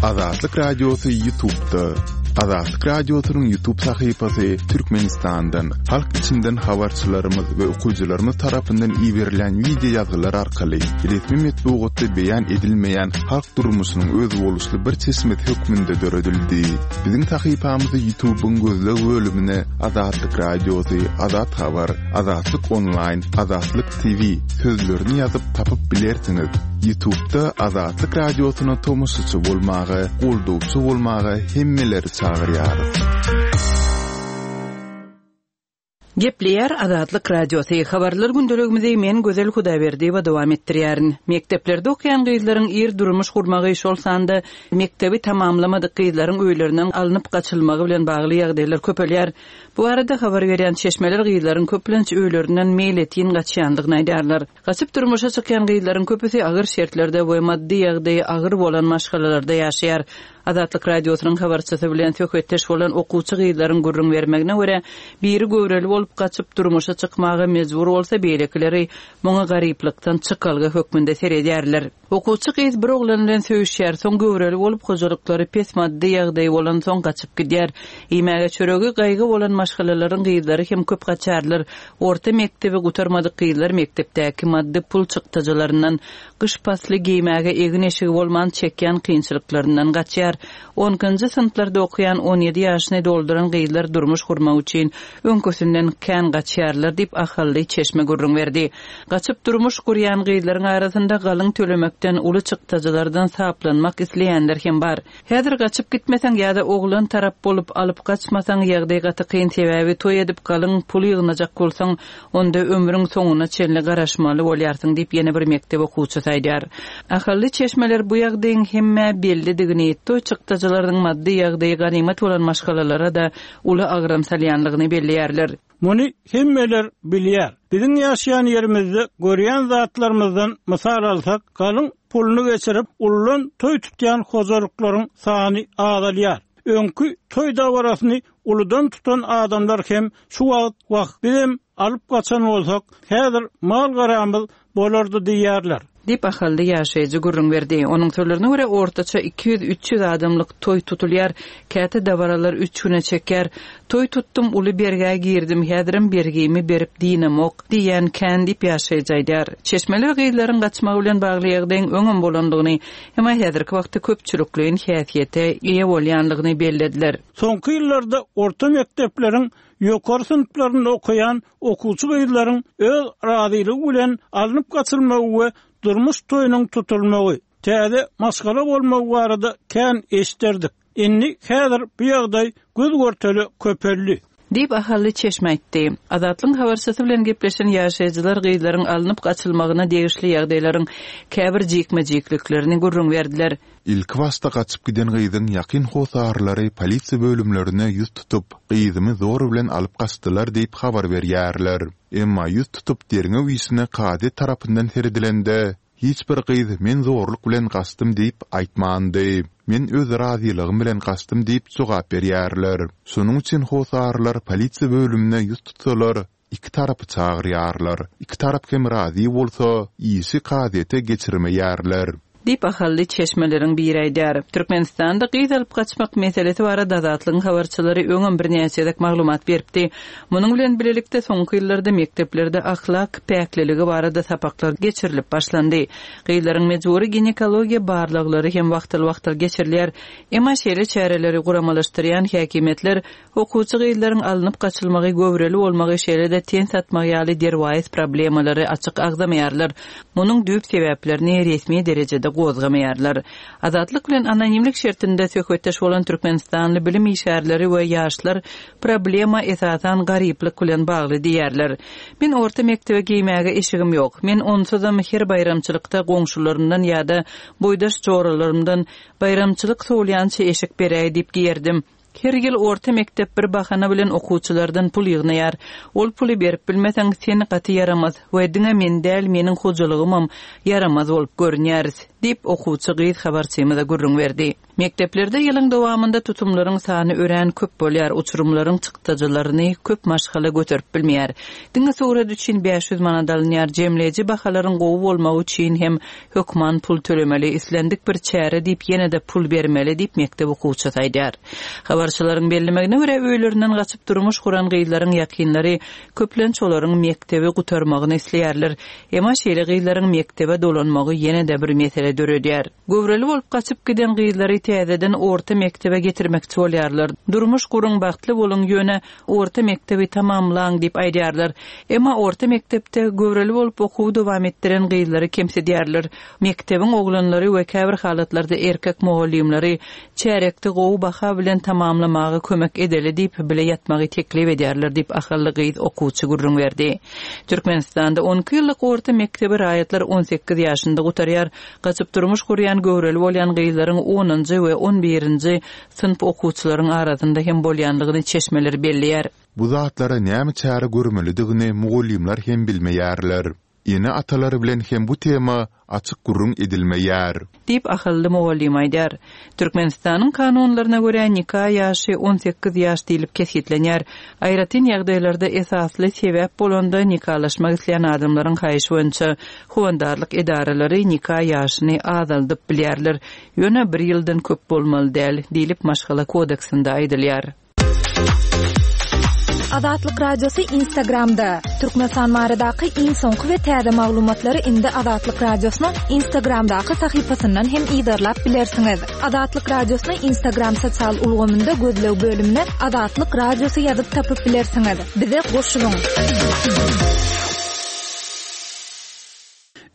Azatlyk Radiosy Ýutubda. Azatlyk Radiosynyň Ýutub sahypasy Türkmenistandan, halk içinden habarçylarymyz we okyjylarymyz tarapyndan iberilen wideo ýazgylar arkaly resmi metbugatda beýan edilmeýän halk durmuşynyň özboluşly bir çeşmesi hökmünde döredildi. Biziň sahypamyzy Ýutubyň gözleg bölümine Azatlyk Radiosy, Azat Habar, Azatlyk Onlaýn, Azatlyk TV sözlerini ýazyp tapyp bilersiňiz. Ýutubda Azatlyk Radiosyna tomaşaçy bolmaga, goldawçy bolmaga hemmeleri çagyrýarys. Gepleýär Azatlyk Radiosy, Habarlar gündeligimizi men Gözel Hudaýberdiýewa dowam etdirýärin. Mekdeplerde okaýan gyzlaryň ir durmuş gurmagy, şol sanda mekdebi tamamlamadyk gyzlaryň öýlerinden alnyp gaçylmagy bilen bagly ýagdaýlar köpelýär. Bu barada habar berýän çeşmeler gyzlaryň köplenç öýlerinden meýletin gaçýandygyny aýdýarlar. Gaçyp durmuşa çykýan gyzlaryň köpüsi agyr şertlerde we maddy ýagdaýy agyr bolan maşgalalarda ýaşaýar. Azatlyk Radiosynyň habarçysy bilen söhbetdeş bolan okuwçy gyzlaryň gürrüň bermegine görä, biri göwreli bolup gaçyp durmuşa çykmaga mejbur bolsa, beýlekileri muňa garyplykdan çykalga hökmünde seredýärler. Okuwçy gyz bir oglan bilen söýüşýär, soň göwreli bolup, hojalyklary pes maddy ýagdaýy bolansoň gaçyp gidýär. Iýmäge çöregi gaýgy bolan maşgalalaryň gyzlary hem köp gaçarlar. Orta mekdebi gutarmadyk gyzlar mekdepdäki maddy pul çykdajylaryndan, gyş pasly geýmäge egin-eşigi bolman çekýän kynçylyklaryndan gaçýar. Onkinji synplarda okaýan 17 ýaşyny dolduran gyzlar durmuş gurmak üçin öňküsinden kän gaçýarlar diýip, ahally çeşme gürrüň berdi. Gaçyp durmuş gurýan gyzlaryň arasynda galyň tölemekden, uly çykdajylardan saplanmak isleýänler hem bar. Häzir gaçyp gitmeseň ýa-da oglan tarap bolup alyp gaçmasaň ýagdaý gaty kyn sebäbi toý edip galyň pul ýygnajak bolsaň onda ömrüň soňuna çenli garaşmaly bolýarsyň diýip ýene bir mekdep okuwçysy aýdýar. Ahally çeşmeler bu ýagdaýyň hemmä bellidigini, toý çykdajylarynyň maddy ýagdaýy ganymat bolan maşgalalara-da uly agram salýanlygyny belleýärler. Muny hemmeler bilýär. Biziň ýaşaýan ýerimizde görýän zatlarymyzdan mysal alsak, galyň puluny geçirip, uludan toý tutýan hojalyklaryň sany azalýar. Öňki toý dabarasyny uludan tutan adamlar hem şu wagt Wah, bizem alyp gaçan bolsak, häzir mal-garamyz bolardy diýýärler. Diýip, ahally ýaşaýjy gürrüň berdi. Onuň sözlerine görä, ortaça 200-300 adamlyk toý tutulýar. Käte dabaralar üç güne çekýär. Toý tutdum, uly bergä girdim, häzirem bergimi berip dynamok diýýän kän diýip, ýaşaýjy aýdýar. Çeşmeler gyzlaryň gaçmagy bilen bagly ýagdaýyň öňem bolandygyny, emma häzirki wagtda köpçülikleýin häsiýete eýe bolýandygyny bellediler. Soňky ýyllarda orta mekdepleriň ýokary synplarynda okaýan okuwçy gyzlaryň öz razylygy bilen alnyp gaçylmagy we durmuş toýunyň tutulmagy, täze maşgala bolmagy barada kän eşderdik. Indi häzir bu ýagdaý göz-görtele köpeldi. Diýip, ahally çeşme aýtdy. Azatlygyň habarçysy bilen gepleşen ýaşaýjylar gyzlaryň alnyp gaçylmagyna degişli ýagdaýlaryň käbir jikme-jikliklerini gürrüň berdiler. Ilkibaşda gaçyp giden gyzyň ýakyn hossarlary polisiýa bölümlerine ýüz tutup, gyzymy zor bilen alyp gaçdylar diýip habar berýärler. Emma ýüz tutup derňew işine kazyýet tarapyndan seredilende, hiç bir gyz men zorluk bilen gaçdym diýip aýtmandy. Men öz razylygym bilen gaçdym diýip jogap berýärler. Şonuň üçin hossarlar polisiýa bölümine ýüz tutsalar, Iki tarapy çagyrýarlar. Iki tarap hem razy bolsa, işi kazyýete geçirmeýärler. Diýip, ahally çeşmeleriň biri aýdýar. Türkmenistanda gyz alyp gaçmak meselesi barada Azatlygyň habarçylary öňem birnäçe gezek maglumat beripdi. Munuň bilen bilelikde, soňky ýyllarda mekdeplerde ahlak päkliligi barada sapaklar geçirilip başlandy. Gyzlaryň mejbury ginekologiýa barlaglary hem wagtal-wagtal geçirilýär. Emma şeýle çäreleri guramalaşdyrýan häkimiýetler Okuwçy gyzlaryň alnyp gaçylmagy, göwreli bolmagy, şeýle-de ten satmagy ýaly derwaýys problemalary açyk agzamaýarlar. Munuň düýp sebäplerini resmi derejede gozgamaýarlar. Azatlyk bilen anonimlik şertinde söhbetdeş bolan türkmenistanly bilim işgärleri we ýaşlar problema esasan garyplyk bilen bagly diýýärler. Men orta mekdebe geýmäge eşigim ýok. Men onsuzam her baýramçylykda goňşularymdan ýa-da boýdaş joralarymdan baýramçylyk sowulýança eşik beräý diýip geýerdim. Her ýyl orta mekdep bir bahana bilen okuwçylardan pul ýygnaýar. Ol puly berip bilmeseň, sen gaty ýaramaz we diňe men däl, meniň hojalygymam ýaramaz bolup görünýäris, diýip, okuwçy gyz habarçymyza gürrüň berdi. Mekdeplerde ýylyň dowamynda tutumlaryň sany örän köp bolýar, uçurymlaryň çykdajylaryny köp maşgala göterip bilmeýär. Diňe surat üçin 500 manat alynýar, jemleýji bahalaryň gowy bolmagy üçin hem hökman pul tölemeli, islendik bir çäre diýip ýene-de pul bermeli diýip, mekdep okuwçysy aýdýar. Habarçylaryň bellemegine görä, öýlerinden gaçyp durmuş guran gyzlaryň ýakynlary köplenç olaryň mekdebi gutarmagyny isleýärler. Emma şeýle gyzlaryň mekdebe dolanmagy ýene-de bir mesele döredýär. Göwreli bolup gaçyp giden gyzlary täzeden orta mekdebe getirmekçi bolýarlar. Durmuş guruň, bagtly boluň, ýöne orta mekdebi tamamlaň diýip aýdýarlar. Emma orta mekdepde göwreli bolup okuwy dowam etdiren gyzlary kemsidýärler. Mekdebiň oglanlary we käbir halatlarda erkek mugallymlary çärýekde gowy baha bilen tamamlamaga kömek edeli diýip, bile ýatmagy teklip edýärler diýip, ahally gyz okuwçy gürrüň berdi. Türkmenistanda on iki ýyllyk orta mekdebi raýatlar on sekiz ýaşynda gutarýar. Gaçyp durmuş gurýan göwreli bolýan gyzlaryň onunjy we on birinji synp okuwçylaryň arasynda hem bolýandygyny çeşmeler belleýär. Bu zatlara näme çäre görmelidigini mugallymlar hem bilmeýärler. Ene-atalar bilen hem bu tema açyk gürrüň edilmeýär. Diýip, ahally mugallym aýdýar. Türkmenistanyň kanunlaryna görä, nika ýaşy 18 ýaş diýlip kesgitlenýär. Aýratyn ýagdaýlarda esasly sebäp bolanda nikalaşmak isleýän adamlaryň haýyşy boýunça howandarlyk edaralary nika ýaşyny azaldyp bilýärler. Ýöne bir ýyldan köp bolmaly däl, diýlip, Maşgala kodeksinde aýdylýar. Azatlyk Radiosy Instagramda, Türkmenistan baradaky iň soňky we täze maglumatlary indi Azatlyk Radiosynyň Instagramdaky sahypasyndan hem yzarlap bilersiňiz. Azatlyk Radiosyny Instagram sosial ulgamynda gözleg bölümine Azatlyk Radiosy ýazyp tapyp bilersiňiz. Bize goşulyň!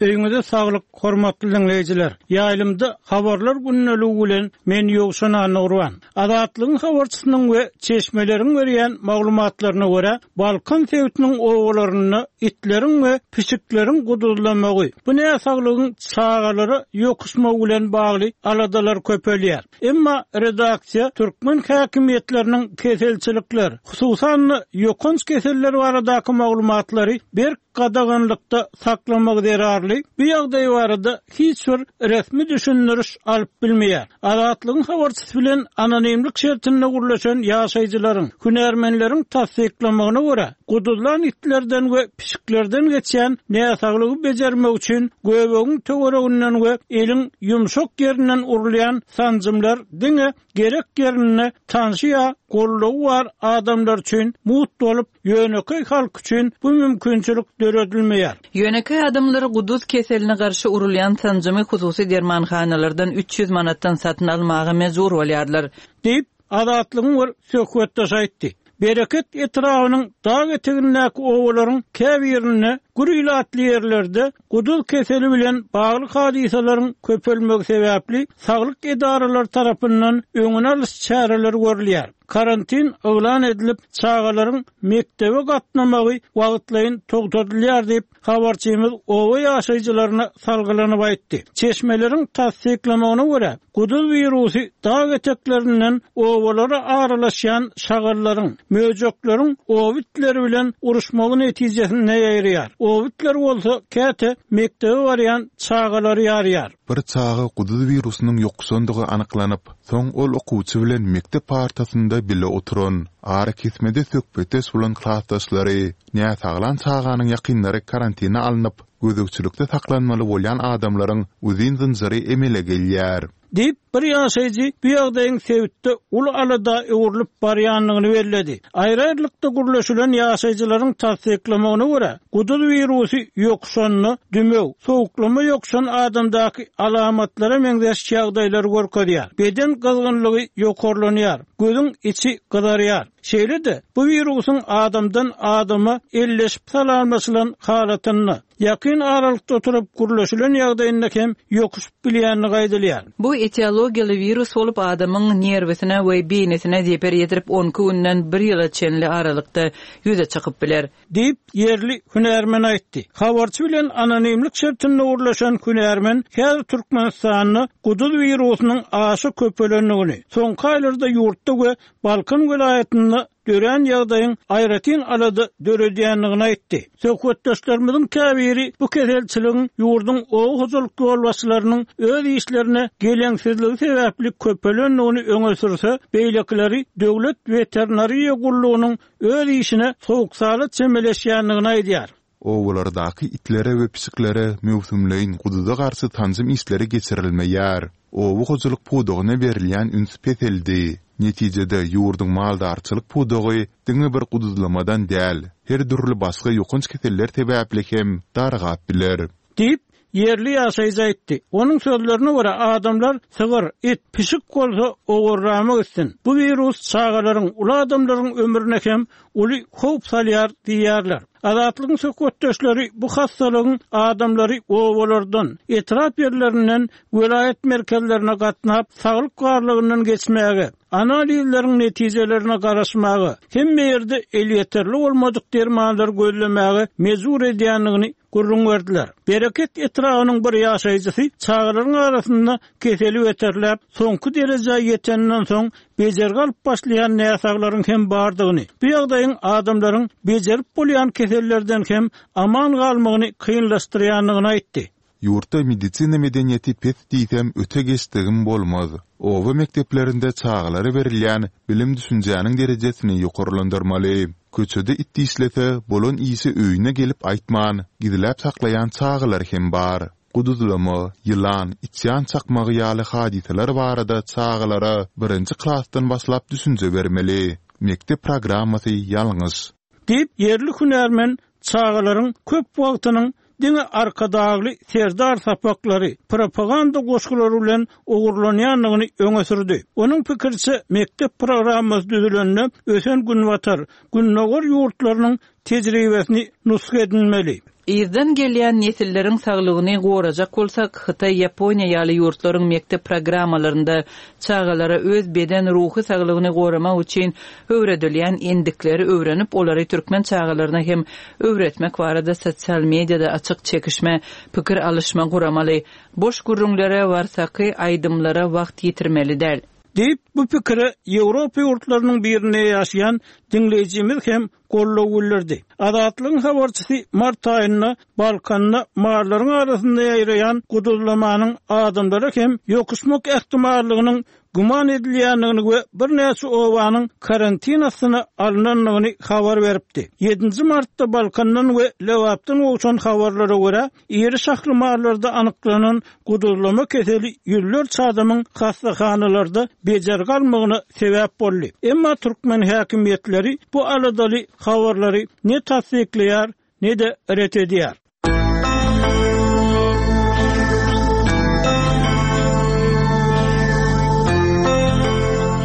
Öýüňize saglyk, hormatly diňleýjiler! Ýaýlymda Habarlar gündeligi bilen men Ýowşan Annagurban. Azatlygyň habarçysynyň we çeşmeleriň berýän maglumatlaryna görä, Balkan sebitiniň obalarynda itleriň we pişikleriň guduzlamagy, bu näsaglygyň çagalara ýokuşmagy bilen bagly aladalar köpelýär. Emma redaksiýa türkmen häkimiýetleriniň keselçilikler, hususan-da, ýokanç keseller baradaky maglumatlary berk gadaganlykda saklamagy zerarly, bu ýagdaý barada hiç bir resmi düşündiriş alyp bilmeýär. Azatlygyň habarçysy bilen anonimlik şertinde gürleşen ýaşaýjylaryň, hünärmenleriň tassyklamagyna görä, guduzlan itlerden we pişiklerden geçýän näsaglygy bejermek üçin göbegiň töwereginden we eliň ýumşak ýerinden urulýan sanjymlar diňe gerek ýerinde tanşy ýa goldawy bar adamlar üçin mugt bolup, ýönekeý halk üçin bu mümkinçilik döredilmeýär. Ýönekeý adamlar guduz keseline garşy urulýan sanjymy hususy dermanhanalardan 300 manatdan satyn almaga mejbur bolýarlar. Diýip, Azatlygyň bir söhbetdeşi aýtdy. Bereket etrabynyň dag etegindäki obalaryň käbirinde gür ilatly ýerlerde guduz keseli bilen bagly hadysalaryň köpelmegi sebäpli saglyk edaralary tarapyndan öňüni alyş çäreleri görülýär. Karantin yglan edilip, çagalaryň mekdebe gatnamagy wagtlaýyn togtadylýar diýip, Habarçymyz oba ýaşaýjylaryna salgylanyp aýtdy. Çeşmeleriň tassyklamagyna görä, guduz wirusy dag eteklerinden obalara aralaşýan şagallaryň, möjekleriň oba itleri bilen uruşmagy netijesinde ýaýraýar. Oba itleri bolsa käte mekdebe barýan çagalary ýarýar. Bir çaga guduz wirusynyň ýokuşandygy anyklanyp, soň ol okuwçy bilen mekdep partasynda bile oturan, arakesmede söhbetdeş bolan klasdaşlary, Näsaglan çaganyň ýakynlary karantina alnyp, gözegçilikde saklanmaly bolýan adamlaryň uzyn zynjyry emele gelýär. Diýip, bir ýaşaýjy bu ýagdaýyň sebitde uly alada öwrülip barýandygyny belledi. Aýry-aýrylykda gürleşilen ýaşaýjylaryň tassyklamagyna görä, guduz wirusy ýokuşanda dümew, sowuklama ýokuşan adamdaky alamatlara meňzeş ýagdaýlary görkezýär. Beden gyzgynlygy ýokarlanýar, gözüň içi gyzarýar. Şeýle-de, bu wirusyň adamdan adama elleşip salamlaşylan halatynda, ýakyn aralykda oturyp gürleşilen ýagdaýynda hem ýokuşyp bilýändigi aýdylýar. Bu etiologiýaly wirus bolup, adamyň nerwisine we beýnisine zeper ýetirip, on iki günden bir ýyla çenli aralykda ýüze çykyp biler. Diýip, ýerli hünärmen aýtdy. Habarçy bilen anonimlik şertinde gürleşen hünärmen häzir Türkmenistanda guduz wirusynyň aşa köpelendigini, soňky aýlarda ýurtda we Balkan welaýatynda. dörän ýagdaýyň aýratyn alada döredýändigini aýtdy. Söhbetdeşlerimiziň käbiri bu keselçiligiň ýurduň oba hojalyk ýolbaşçylarynyň öz işlerine geleňsizligi sebäpli köpelendigini öňe sürse, beýlekileri Döwlet weterinariýa gullugynyň öz işine sowuk-sala çemeleşýändigini aýdýar. Obalardaky itlere we pişiklere möwsümleýin guduza garşy sanjym işleri geçirilmeýär. Oba hojalyk pudagyna berilýän üns peseldi. Netijede, ýurduň maldarçylyk pudagy diňe bir guduzlamadan däl, her dürli başga ýokanç keseller sebäpli hem dargap biler. Diýip, ýerli ýaşaýjy aýtdy. Onuň sözlerine görä, adamlar sygyr, it, pişik bolsa owarrama gitsin. Bu wirus çagalaryň, uly adamlaryň ömrüne hem uly howp salýar diýýärler. Azatlygyň söhbetdeşleri bu hassalygyň adamlary obalardan, etrap ýerlerinden welaýat merkezlerine gatnap, saglyk barlagyndan geçmäge, analizleriň netijelerine garaşmaga, hemme ýerde elýeterli bolmadyk dermanlary gözlemäge mejbur edýändigini gürrüň berdiler. Bereket etrabynyň bir ýaşaýjysy çagalaryň arasynda keseli beterläp, soňky derejä ýeteninden soň bejergi alyp başlaýan näsaglaryň hem bardygyny, bu ýagdaýyň adamlaryň bejerip bolýan kesellerden hem aman galmagyny kynlaşdyrýandygyny aýtdy. Ýurtda medisina medeniýeti pes diýsem öte geçdigim bolmaz. Oba mekdeplerinde çagalara berilýän bilim-düşünjäniň derejesini ýokarlandyrmaly. Köçede it dişlese, bolan işi öýüne gelip aýtman, gizläp saklaýan çagalar hem bar. Guduzlama, ýylan, içýan çakmagy ýaly hadysalar barada çagalara birinji klasdan başlap düşünje bermeli. Mekdep programmasy ýalňyş. Diýip, ýerli hünärmen çagalaryň köp wagtynyň diňe Arkadagly Serdar sapaklary, propaganda goşgulary bilen ogurlanýandygyny öňe sürdi. Onuň pikiriçe, mekdep programmasy düzülende ösen Günbatar, Gündogar ýurtlarynyň tejribesini nusga edinmeli. Yzdan gelýän nesilleriň saglygyny gorajak bolsak, Hytaý, Ýaponiýa ýaly ýurtlaryň mekdep programmalarynda çagalara öz beden, ruhy saglygyny goramak üçin öwredilýän endikleri öwrenip, olary türkmen çagalaryna hem öwretmek barada sosial mediada açyk çekişme, pikir alyşma guramaly. Boş gürrüňlere, warsaky aýdymlara wagt ýitirmeli däl. Diýip, bu pikire Ýewropa ýurtlarynyň birinde ýaşaýan diňleýjimiz hem goldaw bildirdi. Azatlygyň habarçysy mart aýynda Balkanda mallaryň arasynda ýaýraýan guduzlamanyň adamlara hem ýokuşmak ähtimallygynyň güman edilýändigini we birnäçe obanyň karantin astyna alnandygyny habar beripdi. Ýedinji martda Balkandan we Lebapdan gowşan habarlara görä, Iri şahly mallarda anyklanan guduzlama keseli ýüzlerçe adamyň hassahanalarda bejergi almagyna sebäp boldy. Emma türkmen häkimiýetleri bu aladaly habarlary ne tassyklaýar, ne-de ret edýär.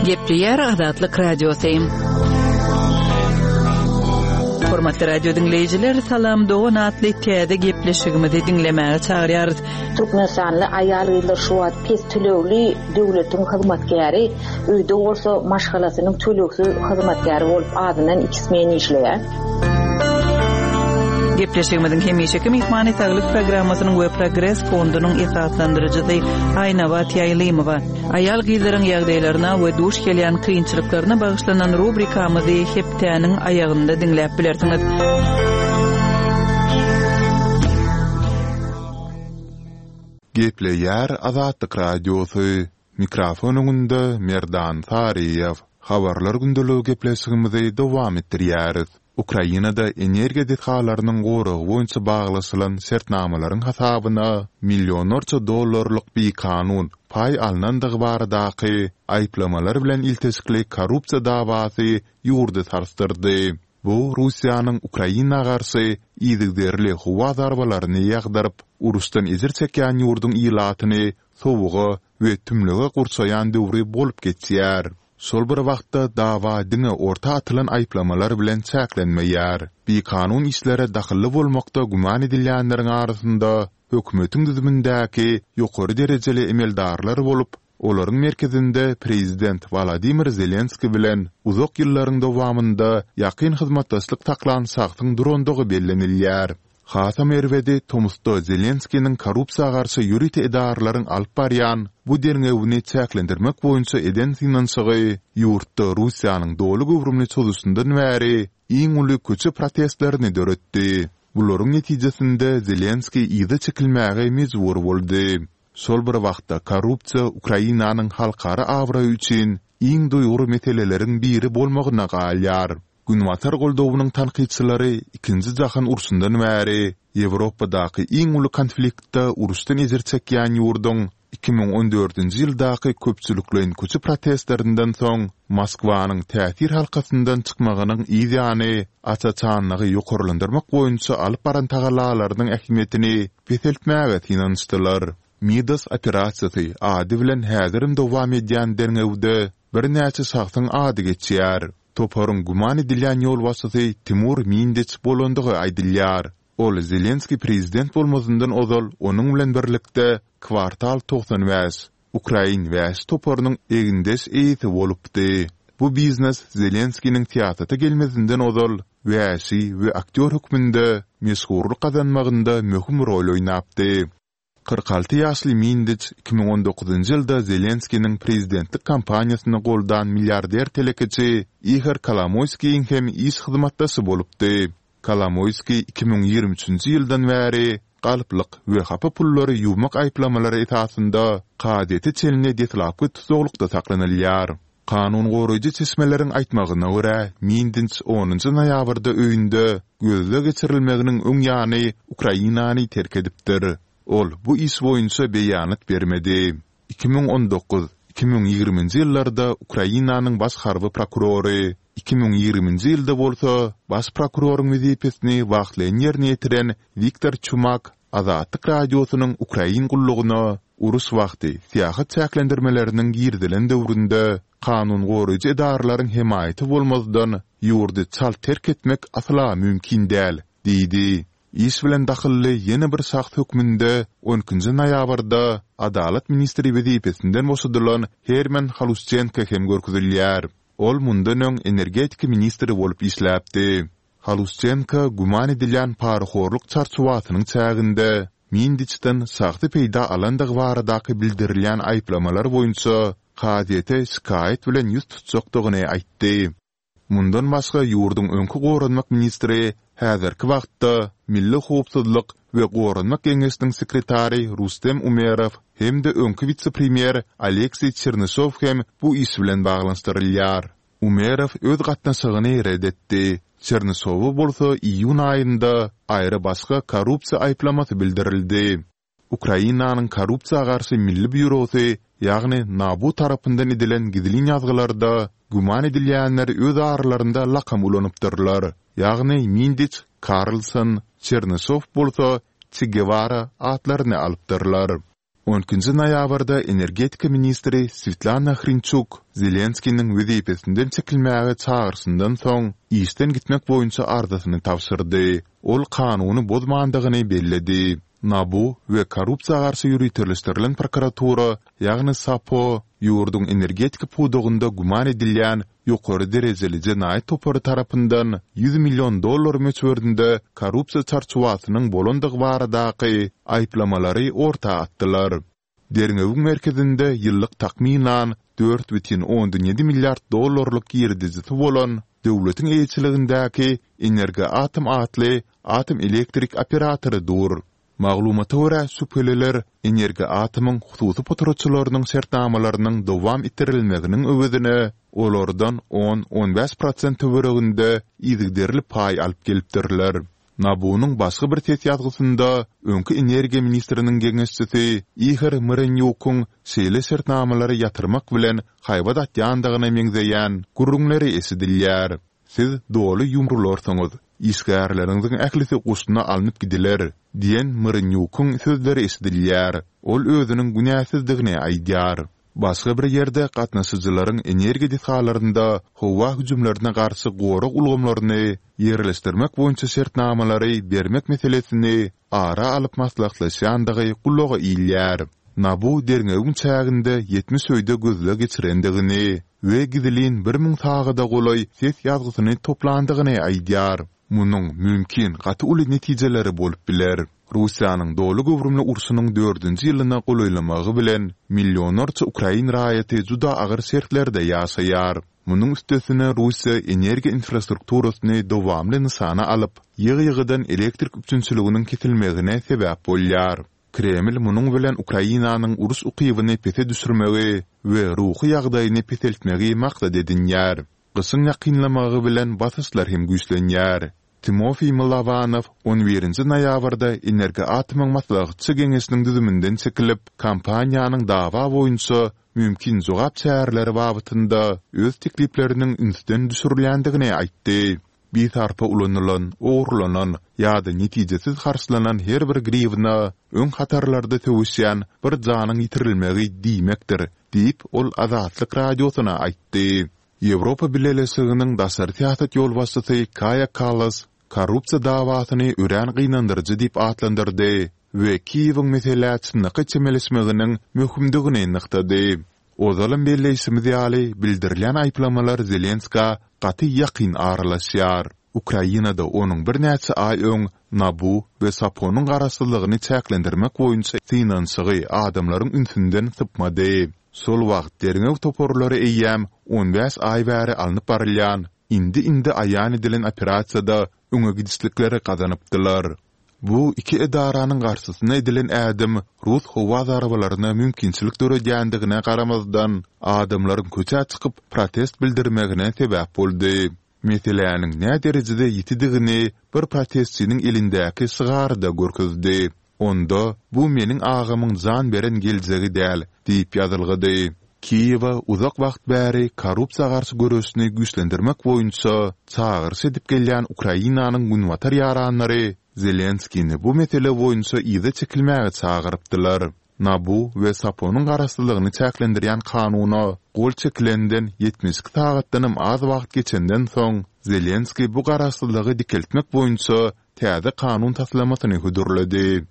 Gepleýär Azatlyk Radiosy. Hormatly radio diňleýjiler, Salam dogan atly täze gepleşigimizi diňlemäge çagyrýarys. Türkmenistanly aýal-gyzlar şu wagt pes tölegli döwletiň hyzmatkäri, öýde bolsa maşgalasynyň tölegsiz hyzmatkäri bolup azyndan iki smen işleýär. Gepleşigimiziň hemişeki myhmany Saglyk programmasynyň we Progres fondunyň esaslandyryjysy Aýnabat Ýaýlymowa. Aýal-gyzlaryň ýagdaýlaryna we duş gelýän kynçylyklaryna bagyşlanan rubrikamyzy hepdäniň aýagynda diňläp bilersiňiz. Gepleýär Azatlyk Radiosy, Mikrofon öňünde Merdan Saryýew. Habarlar gündeligi gepleşigimizi dowam etdirýäris. Ukrainada energiýa desgalarynyň goragy boýunça baglaşylan şertnamalaryň hasabyna millionlarça dollarlyk bikanun paý alnandygy baradaky aýyplamalar bilen ilteşikli korrupsiýa dawasy ýurdy sarsdyrdy. Bu Russiýanyň Ukraina garşy yzygiderli howa zarbalaryny ýagdyryp, uruşdan ejir çekýän ýurduň ilatyny sowuga we tümlüge gurşaýan döwri bolup geçýär. Şol bir wagtda, dawa diňe orta atylan aýyplamalar bilen çäklenmeýär. Bikanun işlere dahylly bolmakda güman edilýänleriň arasynda hökümetiň düzümindäki ýokary derejeli emeldarlar bolup, olaryň merkezinde prezident Wolodymyr Zelenskiý bilen uzak ýyllaryň dowamynda ýakyn hyzmatdaşlyk saklan şahsyň durandygy bellenilýär. Hasam erbedi, tomusda Zelenskiniň korrupsiýa garşy ýörite edaralaryň alyp barýan bu derňewini çäklendirmek boýunça eden synanyşygy ýurtda Russiýanyň doly göwrümli çozuşyndan bäri iň uly köçe protestlerini döretdi. Bularyň netijesinde Zelenskiý yza çekilmäge mejbur boldy. Şol bir wagtda korrupsiýa Ukrainanyň halkara abraýy üçin iň duýgur meseleleriň biri bolmagyna galýar. Günbatar goldawynyň tankytçylary Ikinji jahan urşundan bäri Ýewropadaky iň uly konfliktde uruşdan ejir çekýän ýurduň 2014-nji ýyldaky köpçülikleýin köçe protestlerinden soň Moskwanyň täsir halkasyndan çykmagynyň yz ýany aç-açanlygy ýokarlandyrmak boýunça alyp baran tagallalarynyň ähmiýetini peseltmäge synanyşdylar. Midas operasiýasy ady bilen häzirem dowam edýän derňewde birnäçe şahsyň ady geçýär. Toparyň güman edilýän ýolbaşçysy Timur Mindiç bolandygy aýdylýar. Ol Zelenskiý prezident bolmazyndan ozal onuň bilen birlikde Kwartal 95, ukrain wäşi toparynyň egindeş eýesi bolupdy. Bu biznes Zelenskiniň syýasata gelmezinden ozal wäşi we aktýor hökmünde meşhurlyk gazanmagynda möhüm rol oýnapdy. 46 ýaşly Mindiç 2019-njy ýylda Zelenskiniň prezidentlik kampaniýasyny goldan milliarder telekeçi Ihor Kolomoýskiýiň hem iş hyzmatdaşy bolupdy. Kolomoýskiý 2023-nji ýyldan bäri galplyk we hapa pullary ýuwmak aýyplamalary esasynda kazyýete çenli deslapky tussaglykda saklanylýar. Kanun goraýjy çeşmeleriň aýtmagyna görä, Mindinç onunjy noýabrda öýünde gözleg geçirilmeginiň öň ýany Ukrainany terk edipdir. Ol bu iş boýunça beýanat bermedi. 2019, 2020-nji ýyllarda Ukrainanyň baş harby prokurory, 2020-nji ýylda bolsa baş prokuroryň wezipesini wagtlaýyn ýerine ýetiren Wiktor Çumak Azatlyk Radiosynyň Ukrain gullugyna uruş wagty syýahat çäklendirmeleriniň girizilen döwründe kanun goraýjy edaralaryň hemaýaty bolmazdan ýurdy çalt terk etmek asla mümkin däl diýdi. Iş bilen dahylly ýene bir şahs hökmünde on ikinji noýabrda Adalat ministri wezipesinden boşadylan Herman Halusçenko hem görkezilýär. Ol mundan öň energetika ministri bolup işläpdi. Halusçenko güman edilýän parahorluk çarçuwasynyň çäginde Mindiçden şahsy peýda alandygy baradaky bildirilýän aýyplamalar boýunça kazyýete şikaýat bilen ýüz tutjakdygyny aýtdy. Mundan başga ýurduň öňki goranmak ministri, häzirki wagtda Milli howpsuzlyk we goranmak geňeşiniň sekretary Rustem Umerow hem-de öňki wise-premýer Alekseý Çernyşow hem bu iş bilen baglanyşdyrylýar. Umerow öz gatnaşygyny ret etdi, Çernyşowa bolsa iýun aýynda aýry-başga korrupsiýa aýyplamasy bildirildi. Ukrainanyň Korrupsiýa garşy milli býurosy, ýagny NABU tarapyndan edilen gizlin ýazgylarda güman edilýänler öz aralarynda lakam ulanypdyrlar, ýagny Mindiç, Karlson, Çernyşow bolsa Çe Gewara atlaryny alypdyrlar. On ikinji noýabrda energetika ministri Swetlana Hrinçuk Zelenskiniň wezipesinden çekilmäge çagyryşyndan soň, işden gitmek boýunça arzasyny tabşyrdy. Ol kanuny bozmandygyny belledi. NABU we korrupsiýa garşy ýöriteleşdirilen prokuratura, ýagny SAPO, ýurduň energetika pudagynda güman edilýän ýokary derejeli jenaýat topary tarapyndan 100 million dollar möçberinde korrupsiýa çarçuwasynyň bolandygy baradaky aýyplamalary orta atdylar. Derňewiň merkezinde ýyllyk takmynan 4,7 milliard dollarlyk girdejisi bolan döwletiň eýeçiligindäki Energoatom atly atom elektrik operatory dur. Maglumata görä, şübheliler Energoatomyň hususy potratçylarynyň şertnamalarynyň dowam etdirilmeginiň öwezine olardan on, on bäş prosent töwereginde yzygiderli paý alyp gelipdirler. NABU-nyň başga bir ses ýazgysynda öňki energiýa ministriniň geňeşçisi Ihor Myrenýukyň şeýle şertnamalary ýatyrmak bilen haýbat atýandygyna meňzeýän gürrüňleri eşidilýär. Siz doly ýumrularsyňyz, işgärleriňiziň ählisi goşuna alnyp gidiler, diýen Myrenýukyň sözleri eşidilýär. Ol özüniň günäsizdigini aýdýar. Başga bir ýerde gatnaşyjylaryň energiýa desgalarynda howa hüjümlerine garşy gorag ulgamlaryny ýerleşdirmek boýunça şertnamalary bermek meselesini ara alyp maslahatlaşýandygy gulaga ilýär. NABU derňewiň çäginde 70 öýde gözleg geçirendigini we gizlin 1000 sagada golaý ses ýazgysyny toplandygyny aýdýar. Munuň, mümkin, gaty uly netijeleri bolup biler. Russiýanyň doly göwrümli urşunyň dördünji ýylyna golaýlamagy bilen, millionlarça ukrain raýaty juda agyr şertlerde ýaşaýar. Munuň üstesine Russiýa energiýa infrastrukturasyny dowamly nyşana alyp, ýygy-ýygydan elektrik üpjünçiliginiň kesilmegine sebäp bolýar. Kreml munuň bilen Ukrainanyň uruş ukybyny pese düşürmegi we ruhy ýagdaýyny peseltmegi maksat edinýär. Gyşyň ýakynlamagy bilen basyşlar hem güýçlenýär. Timofiý Mylowanow on birinji noýabrda Energoatomyň maslahatçy geňeşiniň düzüminden çekilip, kompaniýanyň dawa boýunça mümkin jogap çäreleri babatynda öz teklipleriniň ünsden düşürilýändigini aýtdy. Bisarpa ulanylan, ogurlanan ýa-da netijesiz harçlanan her bir griwna öň hatarlarda söweşýän bir janyň ýitirilmegi diýmekdir, diýip, ol Azatlyk Radiosyna aýtdy. Ýewropa Bileleşiginiň daşary syýasat ýolbaşçysy Kaýa Kallas korrupsiýa dawasyny örän gynandyryjy diýip atlandyrdy we Kiýewiň meselä çynlakaý çemeleşmeginiň möhümdigini nygtady. Ozalam belleýşimiz ýaly, bildirilýän aýyplamalar Zelenskä gaty ýakyn aralaşýar. Ukrainada onuň birnäçe aý öň NABU we SAPO-nyň garaşsyzlygyny çäklendirmek boýunça synanyşygy adamlaryň ünsünden sypmady. Şol wagt derňew toparlary eýýäm on bäş aý bäri alnyp barylýan, indi-indi aýan edilen operasiýada öňe gidişlikleri gazanypdylar. Bu iki edaranyň garşysyna edilen ädim rus howa zarbalaryna mümkinçilik döredýändigine garamazdan, adamlaryň köçä çykyp protest bildirmegine sebäp boldy. Meseläniň näderejede ýitidigini bir protestçiniň elindäki şygary-da görkezdi. Onda, Bu meniň agamyň jan beren geljegi däl diýip ýazylgydy. Kiýewe uzak wagt bäri korrupsiýa garşy göreşini güýçlendirmek boýunça çagyryş edip gelýän Ukrainanyň günbatar ýaranlary Zelenskini bu mesele boýunça yza çekilmäge çagyrypdylar. NABU we SAPO-nyň garaşsyzlygyny çäklendirýän kanuna gol çekilenden 72 sagatdanam az wagt geçenden soň, Zelenskiý bu garaşsyzlygy dikeltmek boýunça täze kanun taslamasyny hödürledi.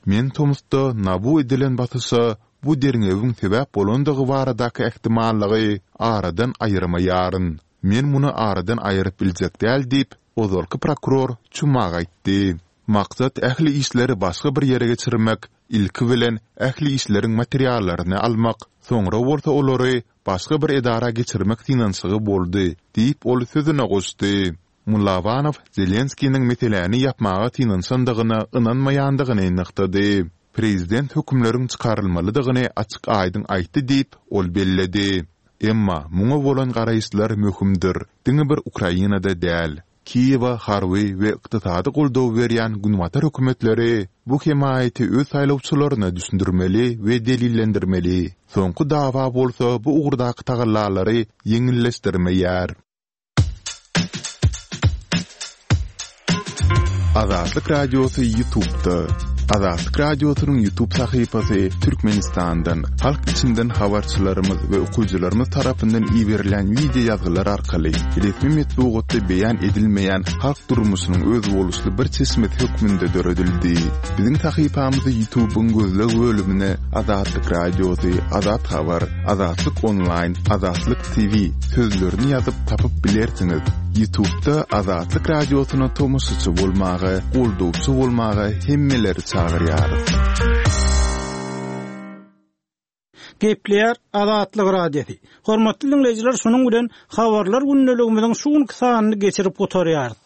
Men tomusda NABU edilen basyşa bu derňewiň sebäp bolandygy baradaky ähtimallygy aradan aýyrmaýaryn. Men muny aradan aýyryp biljek däl diýip, ozalky prokuror Çumak aýtdy. Maksat ähli işleri başga bir ýere geçirmek, ilki bilen ähli işleriň materiallaryny almak, soňra bolsa olary başga bir edara geçirmek synanyşygy boldy diýip, ol sözüne goşdy. Mylawanow Zelenskiniň meseläni ýapmaga synanyşandygyna ynanmaýandygyny nygtady. Prezident hökümleriň çykarylmalydygyny açyk-aýdyň aýtdy diýip, ol belledi. Emma muňa bolan garaýyşlar möhümdir, diňe bir Ukrainada däl. Kiýewe harby we ykdysady goldaw berýän günbatar hökümetleri bu hemaýaty öz saýlawçylaryna düşündirmeli we delillendirmeli. Soňky dawa bolsa bu ugurdaky tagallalary ýeňilleşdirmeýär. Azatlyk Radiosy YouTube'da. Azatlyk Radiosynyň YouTube sahypasy Türkmenistandan, halk içinden habarçylarymyz we okyjylarymyz tarapyndan iberilen wideo ýazgylar arkaly resmi metbugatda beýan edilmeýän halk durmuşynyň özboluşly bir çeşmesi hökmünde döredildi. Biziň sahypamyzy YouTube'yň gözleg bölümine Azatlyk Radiosy, Azat Habar, Azatlyk Onlaýn, Azatlyk TV sözlerini ýazyp tapyp bilersiňiz. Ýutubda Azatlyk Radiosyna tomaşaçy bolmaga, goldawçy bolmaga hemmeleri çagyrýarys. Gepleýär Azatlyk Radiosy. Hormatly diňleýjiler şunuň bilen Habarlar gündeligimiziň şu günki sanyny geçirip gutarýarys.